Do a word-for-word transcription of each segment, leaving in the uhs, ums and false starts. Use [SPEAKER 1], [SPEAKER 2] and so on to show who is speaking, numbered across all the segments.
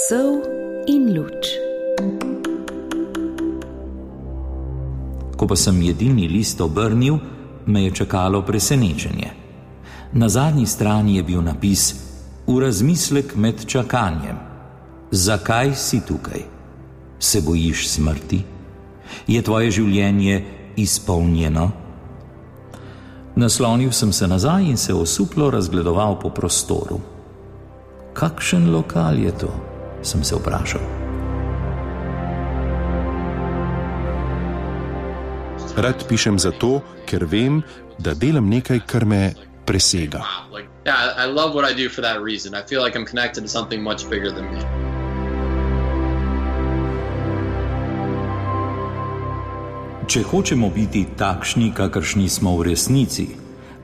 [SPEAKER 1] Sol in luč.
[SPEAKER 2] Ko pa sem jedilni list obrnil, me je čakalo presenečenje. Na zadnji strani je bil napis: v razmislek med čakanjem. Zakaj si tukaj? Se bojiš smrti? Je tvoje življenje izpolnjeno? Naslonil sem se nazaj in se osuplo razgledoval po prostoru. Kakšen lokal je to? Sem se vprašal.
[SPEAKER 3] Rad pišem zato, ker vem, da delam nekaj, kar me presega.
[SPEAKER 2] Če hočemo biti takšni, kakršni smo v resnici,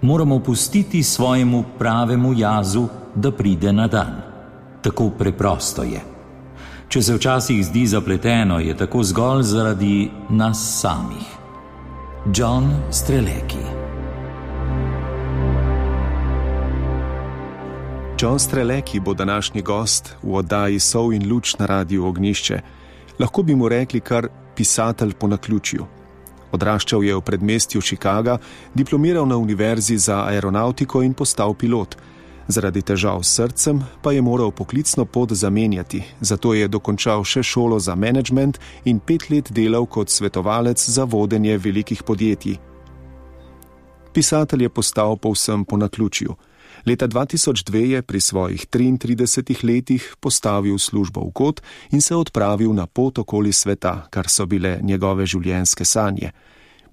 [SPEAKER 2] moramo pustiti svojemu pravemu jazu, da pride na dan. Tako preprosto je. Če se včasih zdi zapleteno, je tako zgolj zaradi nas samih. John Strelecki.
[SPEAKER 3] John Strelecki bo današnji gost v oddaji Sol in luč na Radiu Ognjišče. Lahko bi mu rekli kar pisatelj po naključju. Odraščal je v predmestju Chicaga, diplomiral na univerzi za aeronautiko in postal pilot. Zaradi težav s srcem pa je moral poklicno pot zamenjati, zato je dokončal še šolo za menedžment in pet let delal kot svetovalec za vodenje velikih podjetij. Pisatelj je postal povsem po naključju. Leta dva tisoč dve je pri svojih triintridesetih letih postavil službo v kot in se odpravil na pot okoli sveta, kar so bile njegove življenjske sanje.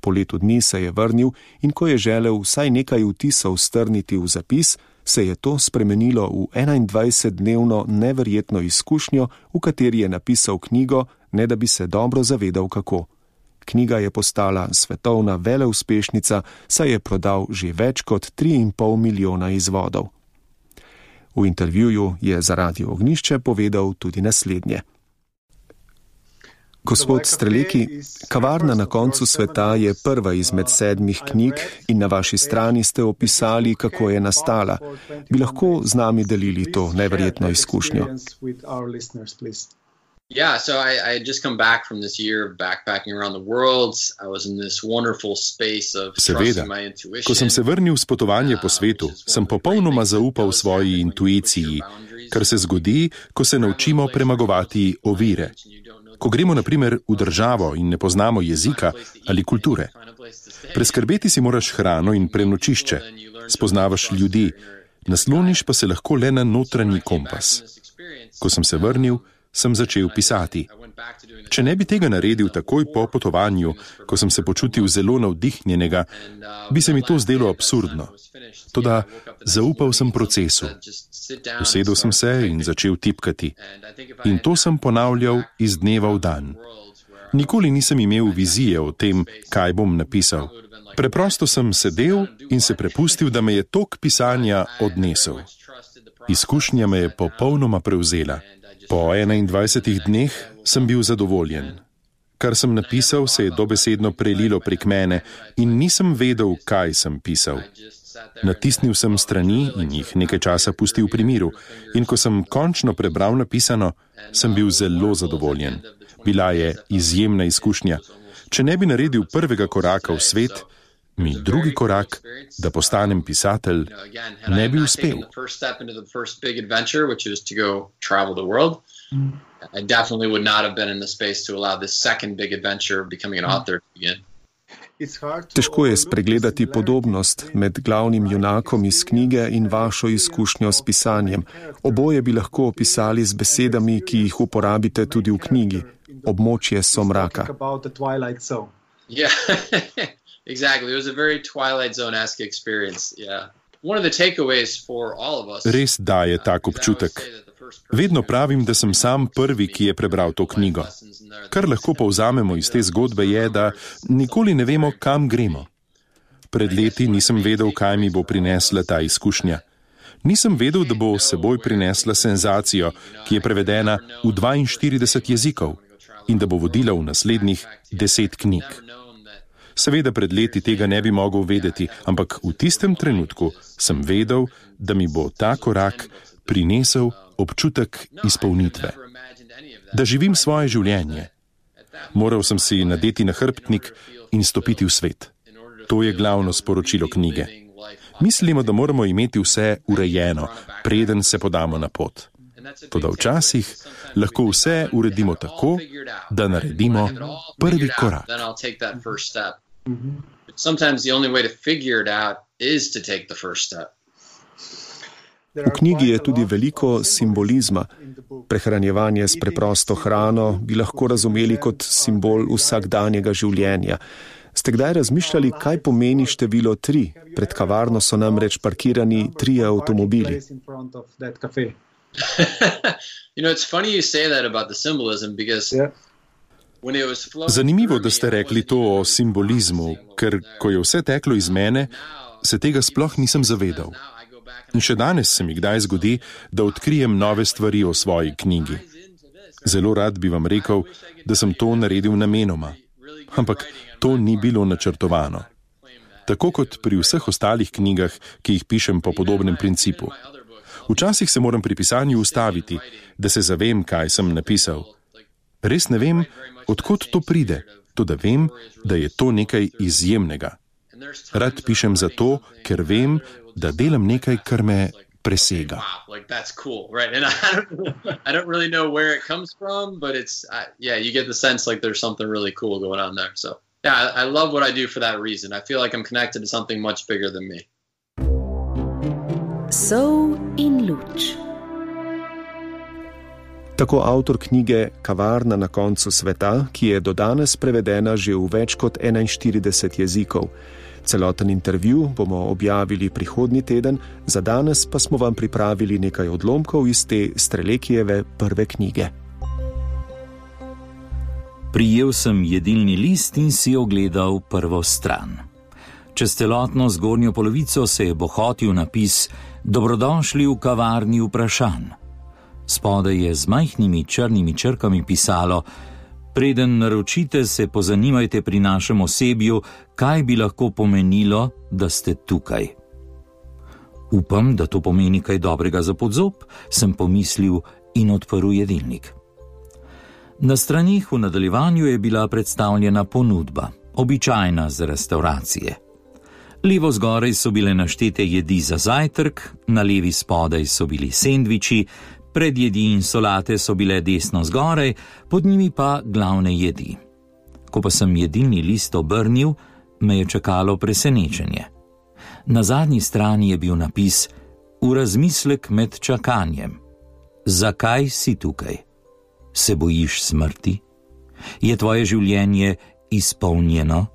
[SPEAKER 3] Po letu dni se je vrnil in ko je želel vsaj nekaj vtisov strniti v zapis, se je to spremenilo v enaindvajsetdnevno neverjetno izkušnjo, v kateri je napisal knjigo, ne da bi se dobro zavedal kako. Knjiga je postala svetovna veleuspešnica, saj je prodal že več kot tri in pol milijona izvodov. V intervjuju je za Radio Ognjišče povedal tudi naslednje. Gospod Strelecki, Kavarna na koncu sveta je prva izmed sedmih knjig in na vaši strani ste opisali, kako je nastala. Bi lahko z nami delili to neverjetno izkušnjo?
[SPEAKER 4] Yeah, so I, I had just come back from this year of backpacking around the world. I was in this wonderful space of trusting my intuition.
[SPEAKER 3] Ko sem se vrnil s potovanja po svetu, sem popolnoma zaupal svoji intuiciji, kar se zgodi, ko se naučimo premagovati ovire. Ko gremo na primer v državo in ne poznamo jezika ali kulture. Preskrbeti si moraš hrano in prenočišče, spoznavaš ljudi, nasloniš pa se lahko le na notranji kompas. Ko sem se vrnil, sem začel pisati. Če ne bi tega naredil takoj po potovanju, ko sem se počutil zelo navdihnjenega, bi se mi to zdelo absurdno. Toda zaupal sem procesu. Usedel sem se in začel tipkati. In to sem ponavljal iz dneva v dan. Nikoli nisem imel vizije o tem, kaj bom napisal. Preprosto sem sedel in se prepustil, da me je tok pisanja odnesel. Izkušnja me je popolnoma prevzela. Po enaindvajsetih dneh sem bil zadovoljen. Kar sem napisal, se je dobesedno prelilo prek mene in nisem vedel, kaj sem pisal. Natisnil sem strani in jih nekaj časa pustil pri miru in ko sem končno prebral napisano, sem bil zelo zadovoljen. Bila je izjemna izkušnja. Če ne bi naredil prvega koraka v svet, mi drugi korak, da postanem pisatelj, ne bi uspel.
[SPEAKER 4] I definitely would not have been in the space to allow this second big adventure of becoming an author to begin.
[SPEAKER 3] Težko je spregledati podobnost med glavnim junakom iz knjige in vašo izkušnjo s pisanjem. Oboje bi lahko opisali z besedami, ki jih uporabite tudi v knjigi. Območje somraka.
[SPEAKER 4] Yeah, exactly. It was a very Twilight Zone-esque experience, yeah. One of the takeaways for all of us.
[SPEAKER 3] Res daje tak občutek. Vedno pravim, da sem sam prvi, ki je prebral to knjigo. Kar lahko povzamemo iz te zgodbe je, da nikoli ne vemo, kam gremo. Pred leti nisem vedel, kaj mi bo prinesla ta izkušnja. Nisem vedel, da bo seboj prinesla senzacijo, ki je prevedena v dvainštirideset jezikov in da bo vodila v naslednjih deset knjig. Seveda pred leti tega ne bi mogel vedeti, ampak v tistem trenutku sem vedel, da mi bo ta korak prinesel občutek izpolnitve. Da živim svoje življenje. Moral sem si nadeti nahrbtnik in stopiti v svet. To je glavno sporočilo knjige. Mislimo, da moramo imeti vse urejeno, preden se podamo na pot. Toda včasih lahko vse uredimo tako, da naredimo prvi korak.
[SPEAKER 5] V knjigi je tudi veliko simbolizma. Prehranjevanje s preprosto hrano bi lahko razumeli kot simbol vsakdanjega življenja. Ste kdaj razmišljali, kaj pomeni število tri? Pred kavarno so namreč parkirani trije avtomobili.
[SPEAKER 3] Zanimivo, da ste rekli to o simbolizmu, ker ko je vse teklo iz mene, se tega sploh nisem zavedal. In še danes se mi kdaj zgodi, da odkrijem nove stvari o svoji knjigi. Zelo rad bi vam rekel, da sem to naredil namenoma. Ampak to ni bilo načrtovano. Tako kot pri vseh ostalih knjigah, ki jih pišem po podobnem principu. Včasih se moram pri pisanju ustaviti, da se zavem, kaj sem napisal. Res ne vem, odkot to pride, toda vem, da je to nekaj izjemnega. Rad pišem zato, ker vem, da delam nekaj, kar me presega.
[SPEAKER 1] Sol in luč.
[SPEAKER 5] Tako avtor knjige Kavarna na koncu sveta, ki je do danes prevedena že v več kot enainštirideset jezikov. Celoten intervju bomo objavili prihodnji teden, za danes pa smo vam pripravili nekaj odlomkov iz te Strelekijeve prve knjige.
[SPEAKER 2] Prijel sem jedilni list in si ogledal prvo stran. Čez celotno zgornjo polovico se je bohotil napis Dobrodošli v kavarni vprašanj. Spodaj je z majhnimi črnimi črkami pisalo: Preden naročite, se pozanimajte pri našem osebju, kaj bi lahko pomenilo, da ste tukaj. Upam, da to pomeni kaj dobrega za podzob, sem pomislil in odprl jedilnik. Na stranih v nadaljevanju je bila predstavljena ponudba, običajna za restauracije. Levo zgoraj so bile naštete jedi za zajtrk, na levi spodaj so bili sendviči, predjedi in solate so bile desno zgoraj, pod njimi pa glavne jedi. Ko pa sem jedilni list obrnil, me je čakalo presenečenje. Na zadnji strani je bil napis V razmislek med čakanjem. Zakaj si tukaj? Se bojiš smrti? Je tvoje življenje izpolnjeno?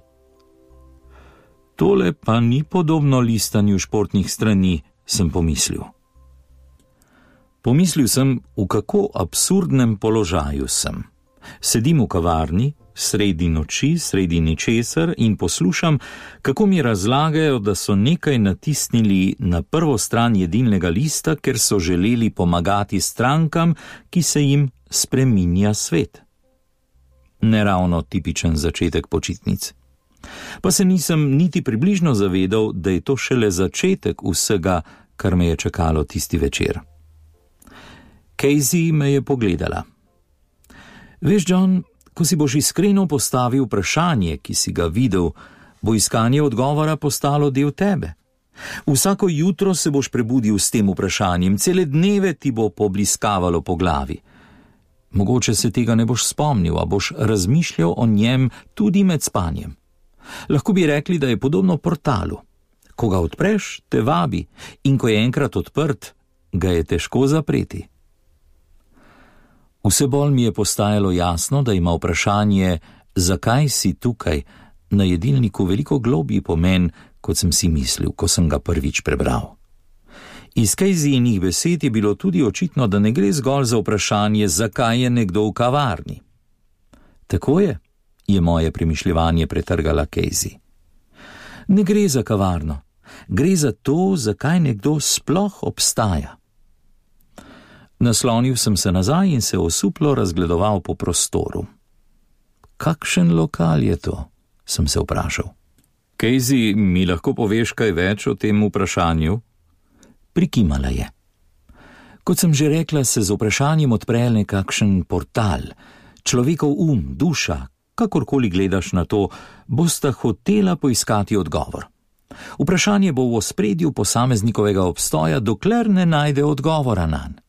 [SPEAKER 2] Tole pa ni podobno listanju športnih strani, sem pomislil. Pomislil sem, v kako absurdnem položaju sem. Sedim v kavarni, sredi noči, sredi ničesar in poslušam, kako mi razlagajo, da so nekaj natisnili na prvo stran jedilnega lista, ker so želeli pomagati strankam, ki se jim spreminja svet. Neravno tipičen začetek počitnic. Pa se nisem niti približno zavedal, da je to šele začetek vsega, kar me je čakalo tisti večer. Casey me je pogledala. Veš, John, ko si boš iskreno postavil vprašanje, ki si ga videl, bo iskanje odgovora postalo del tebe. Vsako jutro se boš prebudil s tem vprašanjem, cele dneve ti bo pobliskavalo po glavi. Mogoče se tega ne boš spomnil, a boš razmišljal o njem tudi med spanjem. Lahko bi rekli, da je podobno portalu. Ko ga odpreš, te vabi, in ko je enkrat odprt, ga je težko zapreti. Vse bolj mi je postajalo jasno, da ima vprašanje, zakaj si tukaj, na jedilniku veliko globji pomen, kot sem si mislil, ko sem ga prvič prebral. Iz Caseyjinih besed je bilo tudi očitno, da ne gre zgolj za vprašanje, zakaj je nekdo v kavarni. Tako je, je moje premišljevanje pretrgala Casey. Ne gre za kavarno, gre za to, zakaj nekdo sploh obstaja. Naslonil sem se nazaj in se osuplo razgledoval po prostoru. Kakšen lokal je to? Sem se vprašal. Casey, mi lahko poveš kaj več o tem vprašanju? Prikimala je. Kot sem že rekla, se z vprašanjem odpre nekakšen portal. Človekov um, duša, kakorkoli gledaš na to, bosta hotela poiskati odgovor. Vprašanje bo v ospredju posameznikovega obstoja, dokler ne najde odgovora nanj.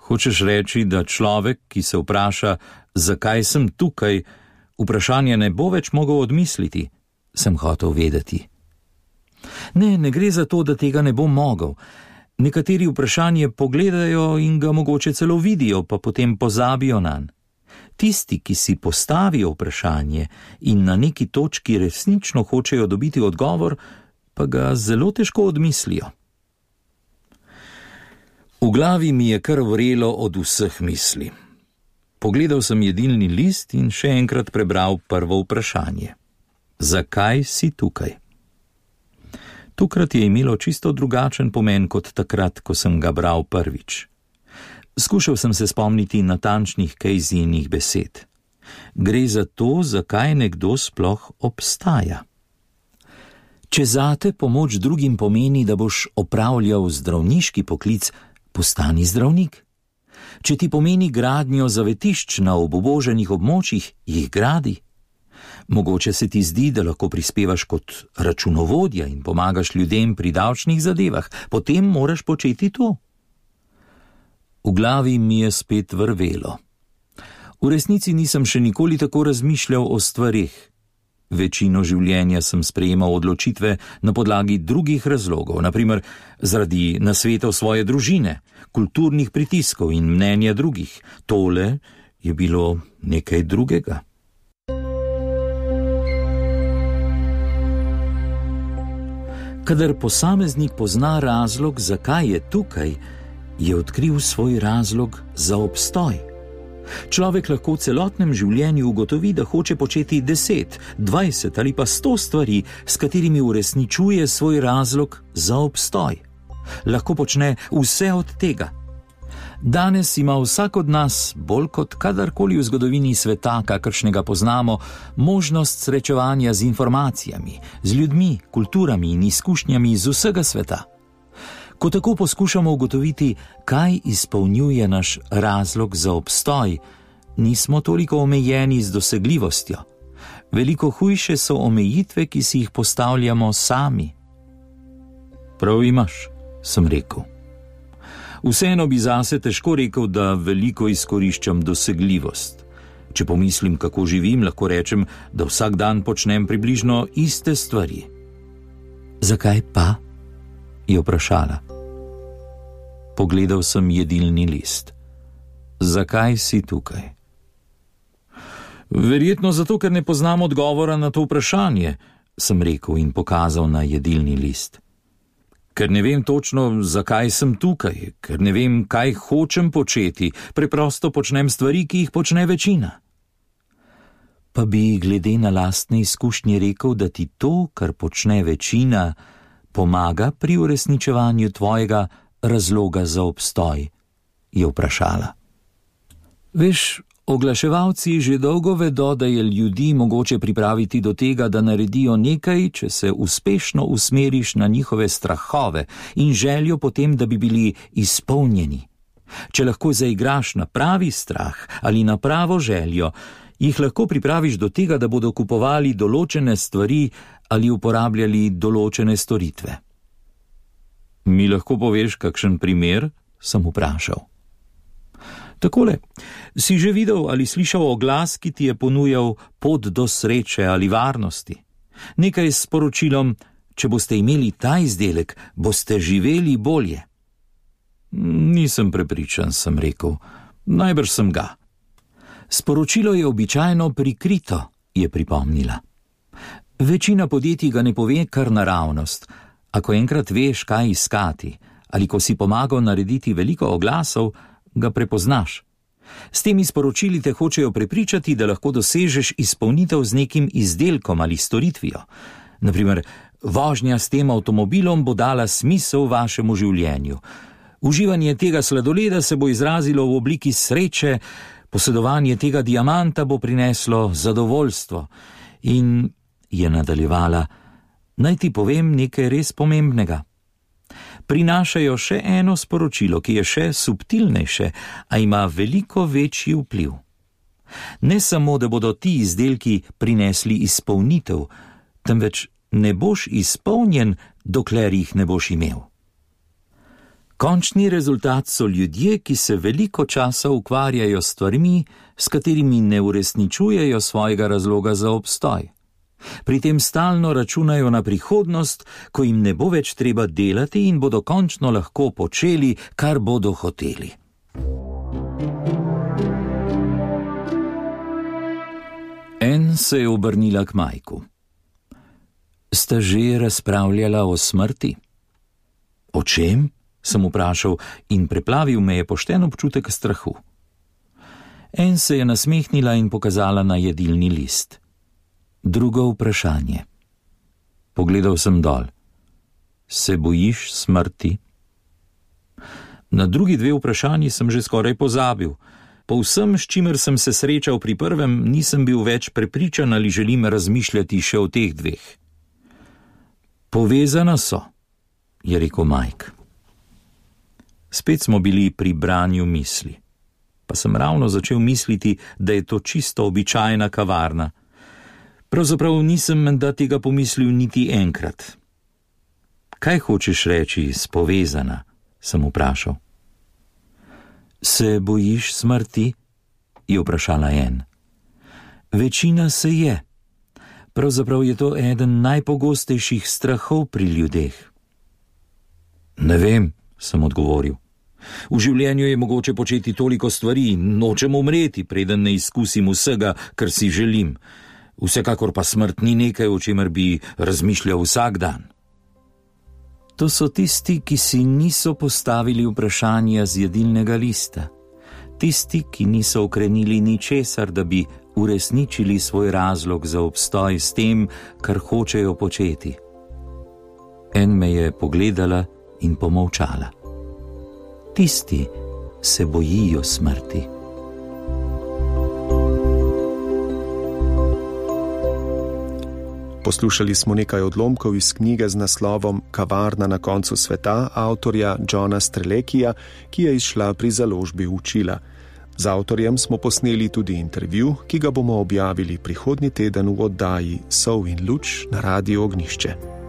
[SPEAKER 2] Hočeš reči, da človek, ki se vpraša, zakaj sem tukaj, vprašanje ne bo več mogel odmisliti, sem hotel vedeti. Ne, ne gre za to, da tega ne bo mogel. Nekateri vprašanje pogledajo in ga mogoče celo vidijo, pa potem pozabijo nanj. Tisti, ki si postavijo vprašanje in na neki točki resnično hočejo dobiti odgovor, pa ga zelo težko odmislijo. V glavi mi je kar vrelo od vseh misli. Pogledal sem jedilni list in še enkrat prebral prvo vprašanje. Zakaj si tukaj? Tukrat je imelo čisto drugačen pomen kot takrat, ko sem ga bral prvič. Skušal sem se spomniti natančnih Caseyjinih besed. Gre za to, zakaj nekdo sploh obstaja. Če zate pomoč drugim pomeni, da boš opravljal zdravniški poklic, postani zdravnik. Če ti pomeni gradnjo zavetišč na obuboženih območjih, jih gradi. Mogoče se ti zdi, da lahko prispevaš kot računovodja in pomagaš ljudem pri davčnih zadevah, potem moraš početi to. V glavi mi je spet vrvelo. V resnici nisem še nikoli tako razmišljal o stvarih. Večino življenja sem sprejemal odločitve na podlagi drugih razlogov, naprimer zaradi nasvetov svoje družine, kulturnih pritiskov in mnenja drugih. Tole je bilo nekaj drugega. Kadar posameznik pozna razlog, zakaj je tukaj, je odkril svoj razlog za obstoj. Človek lahko v celotnem življenju ugotovi, da hoče početi deset, dvajset ali pa sto stvari, s katerimi uresničuje svoj razlog za obstoj. Lahko počne vse od tega. Danes ima vsak od nas, bolj kot kadarkoli v zgodovini sveta, kakršnega poznamo, možnost srečevanja z informacijami, z ljudmi, kulturami in izkušnjami z vsega sveta. Ko tako poskušamo ugotoviti, kaj izpolnjuje naš razlog za obstoj, nismo toliko omejeni z dosegljivostjo. Veliko hujše so omejitve, ki si jih postavljamo sami. Prav imaš, sem rekel. Vseeno bi zase težko rekel, da veliko izkoriščam dosegljivost. Če pomislim, kako živim, lahko rečem, da vsak dan počnem približno iste stvari. Zakaj pa? Je vprašala. Pogledal sem jedilni list. Zakaj si tukaj? Verjetno zato, ker ne poznam odgovora na to vprašanje, sem rekel in pokazal na jedilni list. Ker ne vem točno, zakaj sem tukaj, ker ne vem, kaj hočem početi, preprosto počnem stvari, ki jih počne večina. Pa bi glede na lastne izkušnje rekel, da ti to, kar počne večina, pomaga pri uresničevanju tvojega razloga za obstoj, je vprašala. Veš, oglaševalci že dolgo vedo, da je ljudi mogoče pripraviti do tega, da naredijo nekaj, če se uspešno usmeriš na njihove strahove in željo potem, da bi bili izpolnjeni. Če lahko zaigraš na pravi strah ali na pravo željo, jih lahko pripraviš do tega, da bodo kupovali določene stvari ali uporabljali določene storitve. Mi lahko poveš kakšen primer, sem vprašal. Takole, si že videl ali slišal oglas, ki ti je ponujal pot do sreče ali varnosti? Nekaj s sporočilom, če boste imeli ta izdelek, boste živeli bolje. Nisem prepričan, sem rekel. Najbrž sem ga. Sporočilo je običajno prikrito, je pripomnila. Večina podjetij ga ne pove kar naravnost. Ako enkrat veš, kaj iskati, ali ko si pomagal narediti veliko oglasov, ga prepoznaš. S temi sporočili te hočejo prepričati, da lahko dosežeš izpolnitev z nekim izdelkom ali storitvijo. Naprimer, vožnja s tem avtomobilom bo dala smisel vašemu življenju. Uživanje tega sladoleda se bo izrazilo v obliki sreče, posedovanje tega diamanta bo prineslo zadovoljstvo. In je nadaljevala, naj ti povem nekaj res pomembnega. prinašajo še eno sporočilo, ki je še subtilnejše, a ima veliko večji vpliv. Ne samo, da bodo ti izdelki prinesli izpolnitev, temveč ne boš izpolnjen, dokler jih ne boš imel. Končni rezultat so ljudje, ki se veliko časa ukvarjajo s stvarmi, s katerimi ne uresničujejo svojega razloga za obstoj. Pri tem stalno računajo na prihodnost, ko jim ne bo več treba delati in bodo končno lahko počeli, kar bodo hoteli. En se je obrnila k Majku. Sta že razpravljala o smrti? O čem? Sem vprašal in preplavil me je pošten občutek strahu. En se je nasmehnila in pokazala na jedilni list. Drugo vprašanje. Pogledal sem dol. Se bojiš smrti? Na drugi dve vprašanji sem že skoraj pozabil. Po vsem, s čimer sem se srečal pri prvem, nisem bil več prepričan, ali želim razmišljati še o teh dveh. Povezana so, je rekel Mike. Spet smo bili pri branju misli. Pa sem ravno začel misliti, da je to čisto običajna kavarna. Pravzaprav nisem menda tega pomislil niti enkrat. Kaj hočeš reči s povezana, sem vprašal. Se bojiš smrti? Je vprašala en. Večina se je. Pravzaprav je to eden najpogostejših strahov pri ljudeh. Ne vem, sem odgovoril. V življenju je mogoče početi toliko stvari, nočem umreti, preden ne izkusim vsega, kar si želim. Vsekakor pa smrt ni nekaj, o čemer bi razmišljal vsak dan. To so tisti, ki si niso postavili vprašanja z jedilnega lista. Tisti, ki niso ukrenili ničesar, da bi uresničili svoj razlog za obstoj s tem, kar hočejo početi. En me je pogledala in pomolčala. Tisti se bojijo smrti.
[SPEAKER 5] Poslušali smo nekaj odlomkov iz knjige z naslovom Kavarna na koncu sveta avtorja Johna Strelekija, ki je izšla pri založbi Učila. Z avtorjem smo posneli tudi intervju, ki ga bomo objavili prihodnji teden v oddaji Sol in luč na Radiu Ognjišče.